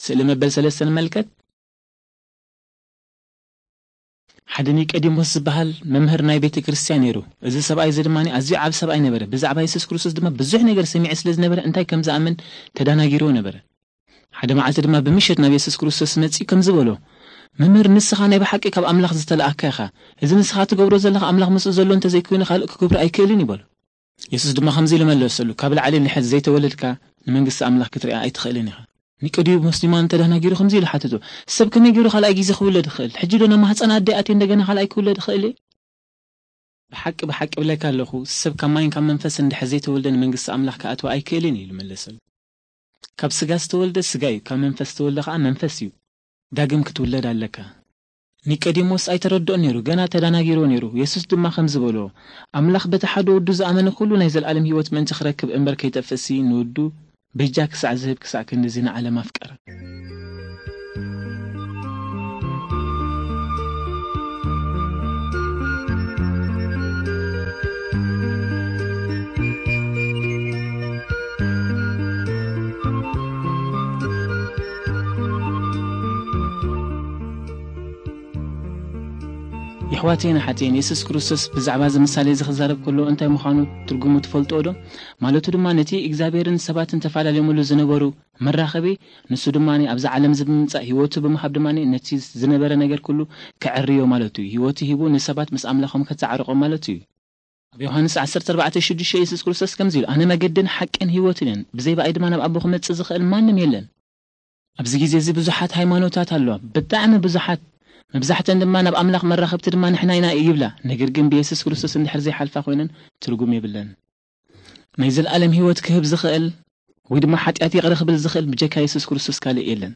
ስእሊ መበል ሰለስተ ንመልከት። ሓደ ኒቆዲሞስ ዝበሃል መምህር ናይ ቤተ ክርስቲያን ነይሩ። እዚ ሰብኣይ እዚ ድማ ኣዝዩ ዓብ ሰብኣይ ነበረ። ብዛዕባ የሱስ ክርስቶስ ድማ ብዙሕ ነገር ሰሚዐ ስለ ዝነበረ እንታይ ከም ዝኣምን ተዳናጊርዎ ነበረ። ሓደ መዓልቲ ድማ ብምሸት ናብ የሱስ ክርስቶስ መጺኡ ከምዚ በሎ፣ "መምህር፣ ንስኻ ናይ ብሓቂ ካብ ኣምላኽ ዝተላእካ ኢኻ። እዚ ንስኻ ትገብሮ ዘለኻ ኣምላኽ ምስኡ ዘሎ እንተዘይኮይኑ ካልእ ክገብሮ ኣይክእልን" ይበሎ። የሱስ ድማ ከምዚ ኢሉ መለሰሉ፣ "ካብ ላዕሊ እንድሕር ዘይተወለድካ ንመንግስቲ ኣምላኽ ክትሪኣ ኣይትኽእልን ኢኻ።" ኒቆዲሞስ ድማ እንተዳናጊሩ ከምዚ ኢሉ ሓተቶ፣ "ሰብ ከመይ ገይሩ ካልኣይ ግዜ ክውለድ ይኽእል? ሕጂ ዶ ናብ ማህፀን ኣደ ኣትየ እንደገና ካልኣይ ክውለድ ይኽእል እየ?" "ብሓቂ ብሓቂ እብለካ ኣለኹ፣ ሰብ ካብ ማይን ካብ መንፈስን እንድሕር ዘይተወልደ ንመንግስቲ ኣምላኽ ክኣትዋ ኣይክእልን እዩ" ኢሉ መለሰሉ። "ካብ ስጋ ዝተወልደ ስጋ እዩ፣ ካብ መንፈስ ዝተወልደ ከዓ መንፈስ እዩ። ዳግም ክትውለድ ኣለካ።" ኒቆዲሞስ ኣይተረድኦን ነይሩ፣ ገና ተዳናጊርዎ ነይሩ። የሱስ ድማ ከምዚ በሎ፣ "ኣምላኽ በቲ ሓደ ወዱ ዝኣመነ ኩሉ ናይ ዘለኣለም ህይወት ምእንቲ ክረክብ እምበር ከይጠፍእሲ ንወዱ በጃ ክሳዕ ዝህብ ክሳዕ ክንድዚ ንዓለም ኣፍቀረ።" የሕዋተይን ኣሓተይን፣ የሱስ ክርስቶስ ብዛዕባ እዚ ምሳሌ እዚ ክዛረብ ከሎ እንታይ ምዃኑ ትርጉሙ ትፈልጥዎ ዶ? ማለቱ ድማ ነቲ እግዚኣብሔርን ሰባትን ተፈላለዮምሉ ዝነበሩ መራኸቢ፣ ንሱ ድማ ኣብዚ ዓለም እዚ ብምምጻእ ህይወቱ ብምሃብ ድማ ነቲ ዝነበረ ነገር ኩሉ ከዕርዮ ማለቱ እዩ። ህይወቱ ሂቡ ንሰባት ምስ ኣምላኾም ከተዓርቖም ማለቱ እዩ። ኣብ ዮሃንስ ዓሰርተ ኣርባዕተ ሽዱሽተ የሱስ ክርስቶስ ከምዚ ኢሉ፣ "ኣነ መገድን ሓቅን ህይወትን እየን፣ ብዘይ ብኣይ ድማ ናብ ኣቦ ክመጽእ ዝኽእል ማንም የለን።" ኣብዚ ግዜ እዚ ብዙሓት ሃይማኖታት ኣለዋ፣ ብጣዕሚ ብዙሓት። መብዛሕተን ድማ ናብ ኣምላኽ መራኸብቲ ድማ ንሕና ኢና ይብላ። ነገር ግን ብየሱስ ክርስቶስ እንድሕር ዘይሓልፋ ኮይነን ትርጉም የብለን። ናይ ዘለኣለም ህይወት ክህብ ዝኽእል ወይ ድማ ሓጢኣት ይቕረ ክብል ዝኽእል ብጀካ የሱስ ክርስቶስ ካልእ የለን።